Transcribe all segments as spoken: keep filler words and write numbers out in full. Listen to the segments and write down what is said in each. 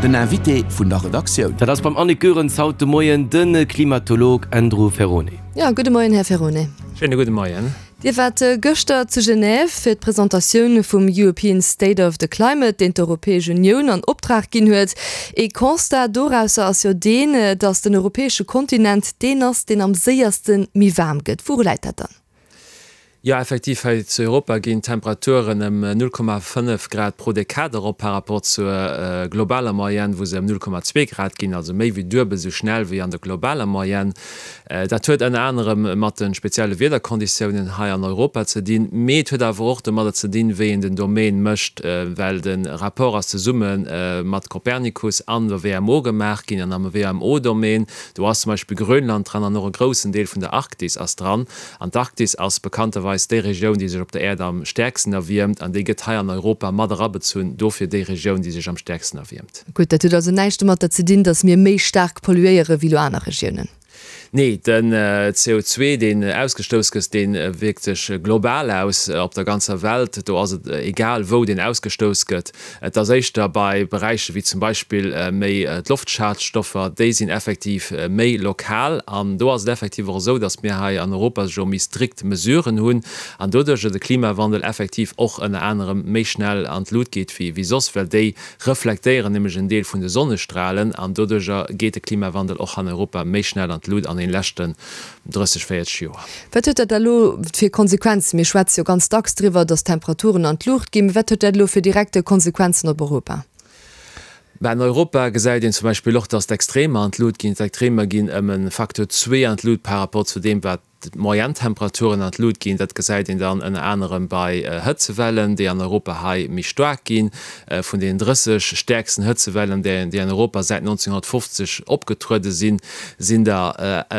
Den Invité vun der Redaktioun. Dat ass beim Annick Goerens haut de Moien de Klimatolog Andrew Ferrone. Ja, gudde Moien, Här Ferrone. Schéine gudde Moien. Dir waart gëschter zu Genève fir d'Presentatioun vum European State of the Climate, deen d'Europäesch Unioun an Optrag ginn huet. Ee Constat dorausser ass jo deen, datt den europäesche Kontinent deen ass, deen am séierste méi waarm gëtt. Wouru läit dat dann? Jo, effektiv, hei zu Europa ginn d'Temperaturen ëm null Komma fënnef Grad pro Dekad erop par rapport zur globaler Moyenne, wou se ëm null Komma zwee Grad ginn, also méi wéi duebel esou schnell wéi an der globaler Moyenne. Dat huet ënner anerem mat de spezielle Wiederkonditiounen hei an Europa ze dinn, mee et huet awer och domadder ze dinn, wéi een den Domaine mécht, well de Rapport ass zesumme mat Copernicus an der W M O gemaach ginn. An am W M O-Domaine, do ass zum Beispill Grönland dran an och e groussen Deel vun der Arktis ass dran. An d'Arktis ass bekannterweis déi Regioun, déi sech op der Äerd am stäerksten erwiermt, an déi gëtt hei an Europa mat erabezunn, dofir déi Regioun, déi sech am stäerksten erwiermt. Gutt, dat huet also näischt domatter ze dinn, datt mir méi staark polluéiere wéi lo aner Regiounen? Nee, den C O zwee, deen ausgestouss gëtt, dee wierkt sech global aus op der ganzer Welt. Do ass et egal, wou deen ausgestouss gëtt. Et ass éischter bei Beräicher wéi zum Beispill méi d'Loftschadstoffer, déi sinn effektiv méi lokal. An do ass et effektiv och esou, datt mir hei an Europa jo méi strikt Mesuren hunn an doduercher de Klimawandel effektiv och ënner anerem méi schnell an d'Lut geet wéi soss, well déi reflektéieren nämlech en Deel vun de Sonnestralen an doduercher geet de Klimawandel och an Europa méi schnell an d'Lut an den leschten drësseg, véierzeg Joer. Wat huet dat da elo fir Konsequenzen? Mir schwätze jo ganz dacks driwwer, dass d'Temperaturen an d'Luucht ginn. Wat huet dat elo fir direkte Konsequenzen op Europa? Mä an Europa gesäit een zum Beispill och, dass d'Extremer an d'Lut ginn. D'Extremer ginn ëm e Facteur zwee an d'Lut par rapport zu deem, wat d'Moyenne-Temperaturen an d'Lut ginn. Dat gesäit een dann ënner anerem bei Hëtzewellen, déi an Europa hei méi staark ginn. Vun deenen drësseg stäerksten Hëtzewellen, déi an Europa säit nonzénghonnertfofzeg opgetruede sinn, sinn der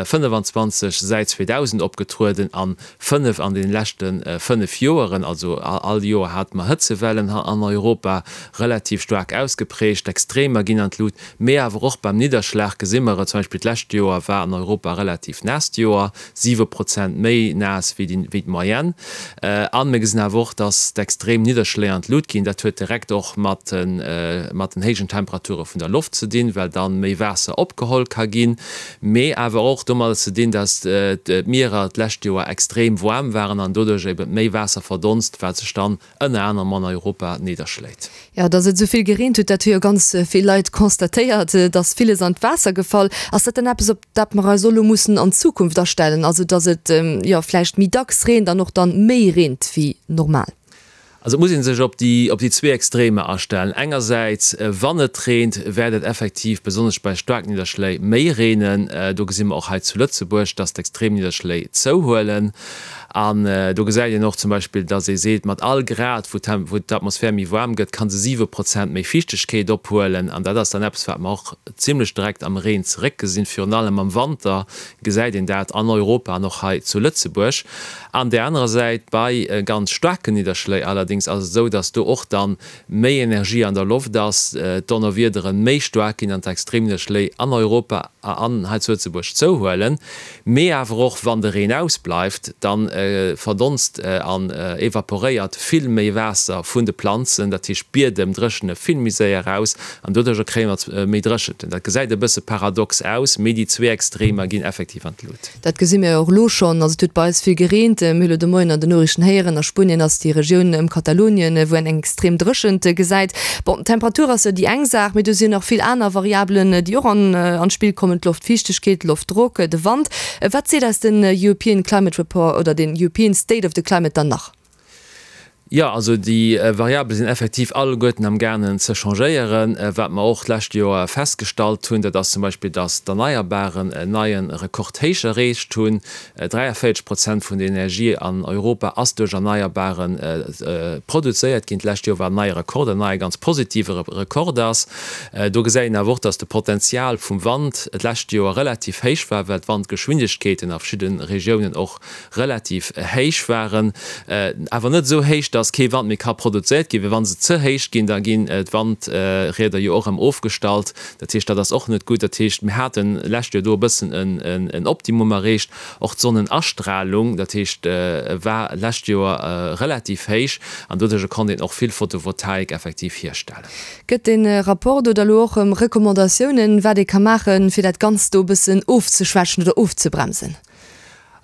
fënnefenzwanzeg säit zweedausend opgetrueden a fënnef an deene leschte fënnef Joeren. Also all Joer hate mer Hëtzewellen an Europa, relativ staark ausgeprägt. D'Extremer ginn an d'Lut, mee awer och beim Nidderschlag gesi mer et. Zum Beispill d'lescht Joer war an Europa e relativ naasst Joer, siwe Prozent méi naass wéi d'Moyenne. An mir gesinn awer och, dass d'extrem Nidderschléi an d'Lut ginn. Dat huet direkt och mat den héijen Temperature vun der Loft ze dinn, well dann méi Waasser opgeholl ka ginn, mee awer och domadder ze dinn, dass d'Mierer d'lescht Joer extrem waarm waren an doduerch ebe méi Waasser verdonst, wat sech dann ënner anerem an Europa nidderschléit. Jo, dass et esou vill gereent huet, dat hu jo ganz vill Leit constatéiert, et ass villes an d'Waasser gefall. Ass dat dann eppes, op dat mer eis och elo mussen an Zukunft astellen, also dass et, jo, vläicht méi dacks reent an och dann méi reent wéi normal? Also et muss ee sech op déi op déi zwee Extremer astellen. Engersäits, wann et reent, wäert et effektiv besonnesch bei Staarknidderschléi méi reenen. Do gesi mer och hei zu Lëtzebuerg, dass d'Extremnidderschléi zouhuelen. An do gesäit een och zum Beispill, dass ee seet, mat all Grad, wou wou d'Atmosphär méi waarm gëtt, ka se siwe Prozent méi Fiichtegkeet ophuelen. An dat ass dann eppes, wat mer och zimlech direkt am Reen zeréckgesinn. Virun allem am Wanter gesäit een dat an Europa an och hei zu Lëtzebuerg. An där anerer Säit, bei ganz staarken Nidderschléi allerdéngs ass et esou, dass do och dann méi Energie an der Loft ass, d'Donnerwiedere méi staark ginn an d'Extremnidderschléi an Europa an hei zu Lëtzebuerg zouhuelen. Mee awer och wann de Reen ausbleift, da verdonst an evaporéiert vill méi Waasser vun de Planzen, dat heescht d'Biedem dréchene vill méi séier aus an doduercher kréie mer méi Dréchenten. Dat gesäit e bësse paradox aus, mee déi zwee Extremer ginn effektiv an d'Lut. Dat gesi mir jo och elo schonn. Also et huet bei eis vill gereent. Mir hu lo de Moien an den Noriichten héieren, a Spuenien ass déi Regioun ëm Katalonien, wou een eng extrem Dréchent gesäit. Bon, d'Temperatur ass jo déi eng Saach, mee do sinn nach vill aner Variabelen, déi och an an d'Spill kommen, d'Loftfiichtegkeet, Loftdrock, de Wand. Wat seet eis den European Climate Report oder den European State of the Climate dann nach? Jo, also déi Variabele sinn effektiv alleguerten am gaangen ze changéieren. Wat mer och d'lescht Joer festgestallt hunn, dat ass zum Beispill, dass d'Erneierbaren en neie Rekordhéich erreecht hunn. dräiavéierzeg Prozent vun der Energie an Europa ass duerch Erneierbare produzéiert ginn d'lescht Joer, wat en neie Rekord, en neie ganz positive Rekord ass. Do gesäit een awer och, dass de Potenzial vum Wand d'lescht Joer relativ héich war, well d'Wandgeschwindegkeeten a verschidde Regiounen och relativ héich waren, awer net esou héich, dass dass kee Wand méi ka produzéiert ginn, well wa se ze héich ginn, da ginn d'Wandrieder jo och erëm ofgestallt. Dat heescht, dat ass och net gutt. Dat heescht, mir haten d'lescht Joer do e bëssen en Optimum erreecht. Och d'Sonnenastralung, dat heescht, war d'lescht Joer relativ héich an doduerjer konnt een och vill Photovoltaik effektiv hierstellen. Gëtt dee Rapport do da lo och Recommandatiounen, wat ee ka maachen, fir dat Ganzt do e bëssen ofzeschwächen oder ofzebremsen?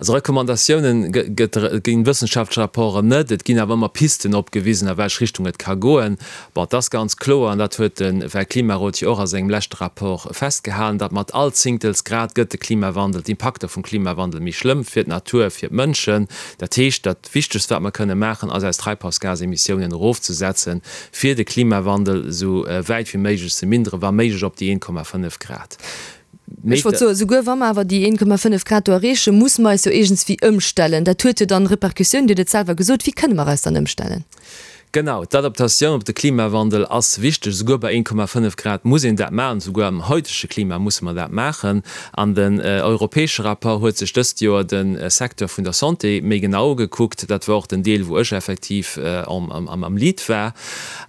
Also Recommandatiounen gëtt ginn wëssenschaftlech Rapporten net, et ginn awer ëmmer Pisten opgewisen, a welch Richtung et ka goen. Bon, et ass ganz kloer, an dat huet de Weltklimarot jo och a sengem leschte Rapport festgehalen, datt mat all Zéngtels Grad gëtt de Klimawandel, d'Impakter vum Klimawandel méi schlëmm fir d'Natur, fir d'Mënschen. Dat heescht, dat Wichtegst, wat mer kënne maachen, ass eis Treibhausgasemissiounen erofzesetzen, fir de Klimawandel esou wäit wéi méiglech ze minderen, wa méiglech op déi een Komma fënnef Grad. Ech wollt soen, souguer wa mer awer déi een Komma fënnef Grad do erreechen, musse mer eis jo iergendswéi ëmstellen. Dat huet jo dann Repercussiounen, Dir hutt et selwer gesot. Wéi kënne mer eis dann ëmstellen? Genau, d'Adaptatioun op de Klimawandel ass wichteg. Souguer bei een Komma fënnef Grad muss een dat maachen, souguer am haitege Klima musse mer dat maachen. An den europäesche Rapport huet sech dëst Joer de Secteur vun der Santé méi genau ugekuckt. Dat war och den Deel, wou ech effektiv am Lead war.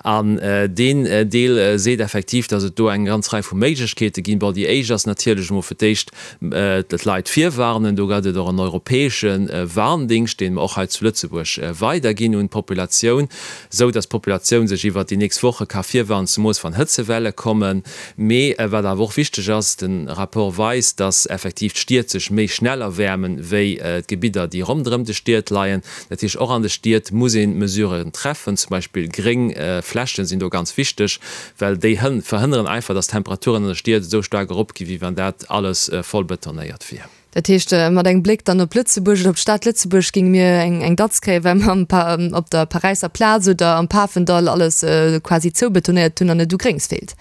An deen Deel seet effektiv, datt et do eng ganz Rei vu Méiglechkeete ginn. Bon, déi éischt ass natierlech emol fir d'éischt d'Leit virwarnen. Do gëtt et och en europäesche Warndingscht, dee mer och hei zu Lëtzebuerg weiderginn un d'Populatioun, esou datt d'Populatioun sech iwwert déi nächst Woche ka virwarnen, zemoos wann Hëtzewelle kommen. Mee wat awer och wichteg ass, de Rapport weist, datt effektiv d'Stied sech méi schnell erwäermen, wéi d'Gebidder, déi ronderëm de Stied leien. Dat heescht, och an de Stied muss ee Mesuren treffen, zum Beispill gréng Flächen sinn do ganz wichteg, well déi verhënneren einfach, datt d'Temperaturen an de Stied esou staark eropgi wéi wann dat alles voll betonéiert wier. Dat heescht, mat engem Bléck dann op Lëtzebuerg oder op d'Stad Lëtzebuerg géinge mir eng Datz kréien, well mer op der Paräisser Plaz oder am Pafendall alles quasi zoubetonéiert hunn an et u Gréngs feelt.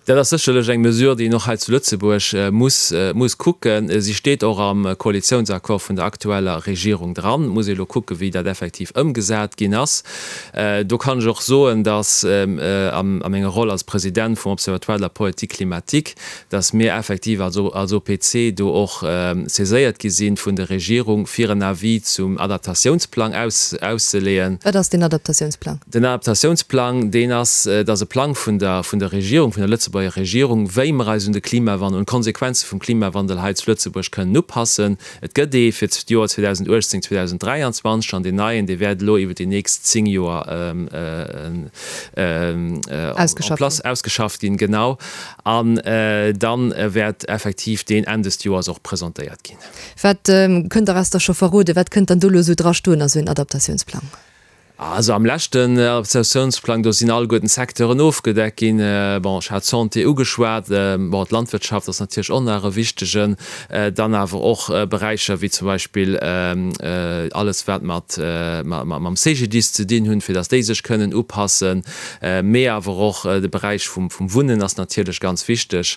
Dat ass sécherlech eng Mesure, déi een och hei zu Lëtzebuerg muss, muss kucken. Si steet och am Koalitiounsaccord vun der aktueller Regierung dran. Et muss ee elo kucken, wéi dat effektiv ëmgesat ginn ass. Do kann ech och soen, dass a menger Roll als President vum Observatoire de la politique climatique, dass mir effektiv als, als O P C do och saiséiert gi sinn vun der Regierung, fir en Avis zum Adaptatiounsplang aus, auszeleeën. Wat ass deen Adaptatiounsplang? Den Adaptatiounsplang, deen ass, dat ass e Plang vun der, vun der Regierung, vun der Lëtzebuerger Regierung, wéi mer eis un de Klimawandel, un d'Konsequenze vum Klimawandel hei zu Lëtzebuerg kënnen upassen. Et gëtt ee fir d'Joer zweedausendachtzéng, zweedausendräianzwanzeg an deen neien, dee wäert elo iwwer déi nächst zéng Joer en place ausgeschafft ginn. Genau. An dann wäert effektiv deen Enn des Joers och presentéiert ginn. Wat kënnt Der eis da scho verroden? Wat kënnt dann do elo esou drastoen a sou en Adaptatiounsplang? Also am leschten Adaptatiounsplang, do sinn alleguerten d'Secteuren ofgedeckt ginn. Bon, ech hat d'Santé ugeschwat, bon, d'Landwirtschaft ass natierlech och nach e wichtegen, dann awer och Beräicher wéi zum Beispill alles wat mat mam C G D I S ze dinn hunn, fir datt déi sech kënnen upassen, mee awer och de Beräich vum Wunnen ass natierlech ganz wichteg.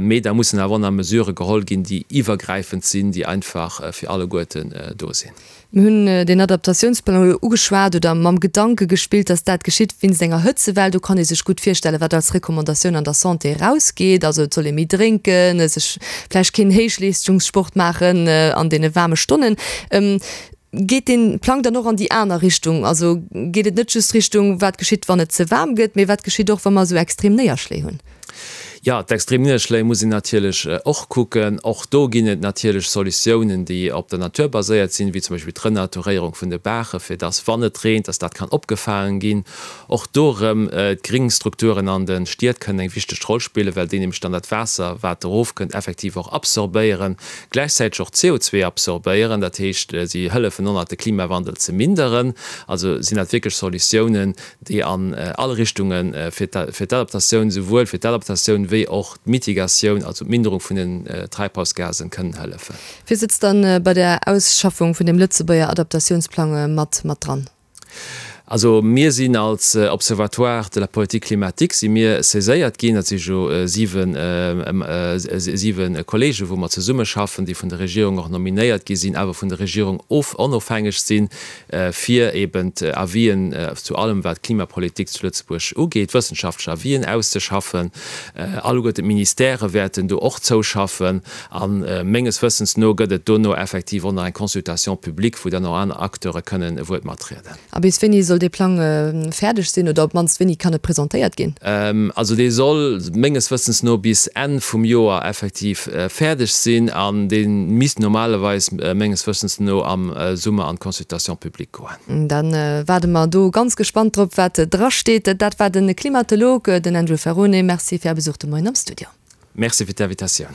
Mee da mussen awer och nach Mesurë geholl ginn, déi iwwergräifend sinn, déi einfach fir alleguerten do sinn. Mir hunn deen Adaptatiounsplang elo ugeschwat oder mam Gedanke gespillt, dass dat geschitt wéinst enger Hëtzewell. Do kann ee sech gutt virstellen, wat als Recommandatioun an der Santé erausgeet. Also et soll ee méi drénken, sech vläicht keen Héichleeschtungssport maachen an deene waarme Stonnen. Geet dee Plang dann och an déi aner Richtung? Also geet et net just Richtung, wat geschitt, wann et ze waarm gëtt, mee wat geschitt och, wa mer esou extrem Néierschléi hunn? Jo, d'extrem Nidderschléi muss een natierlech och kucken. Och do ginn et natierlech Solutiounen, déi op der Natur baséiert sinn, wéi zum Beispill d'Renaturéierung vun de Baache, fir dass, wann et reent, dass dat kann opgefaangen ginn. Och do erëm, d'Gringstrukturen an de Stied kënnen eng wichteg Roll spillen, well déi nämlech dann dat Waasser, wat erofkënnt, effektiv och absorbéieren, gläichzäiteg och C O zwee absorbéieren. Dat heescht, si hëllefen och nach, de Klimawandel ze minderen. Also sinn dat wierklech Solutiounen, déi an all Richtunge fir d'Adaptatioun, souwuel fir d'Adaptatioun wéi och d'Mitigatioun, also d'Minderung vun den Treibhausgasen, kënnen hëllefen. Wie sëtzt dann bei der Ausschaffung vun dem Lëtzebuerger Adaptatiounsplang mat mat dran? Also mir sinn als Observatoire de la politique climatique si mir saiséiert ginn, dat si jo siwen, siwe Kollegen, wou mer zesummeschaffen, déi vun der Regierung och nominéiert gi sinn, awer vun der Regierung of onofhängeg sinn, fir eben Avisen zu allem, wat d'Klimapolitik zu Lëtzebuerg ugeet, wëssenschaftlech Avisen auszeschaffen. Alleguerten d'Ministèrë wäerten do och zouschaffen. A menges Wëssens no gëtt et dono effektiv och nach eng Consultation publique, wou dann och aner Acteure kënnen e Wuert matrieden. A bis wéini soll soll dee Plang fäerdeg sinn oder op d'mannst wéini kann e presentéiert ginn? Also dee soll menges Wëssens no bis Enn vum Joer effektiv fäerdeg sinn an dee misst normalerweis menges Wëssens no am Summer an d'Consultation publique goen. Dann waarde mer do ganz gespannt drop, wat drasteet. Dat war de Klimatolog, den Andrew Ferrone. Merci fir Är Besuch de Moien am Studio. Merci fir d'Invitatioun.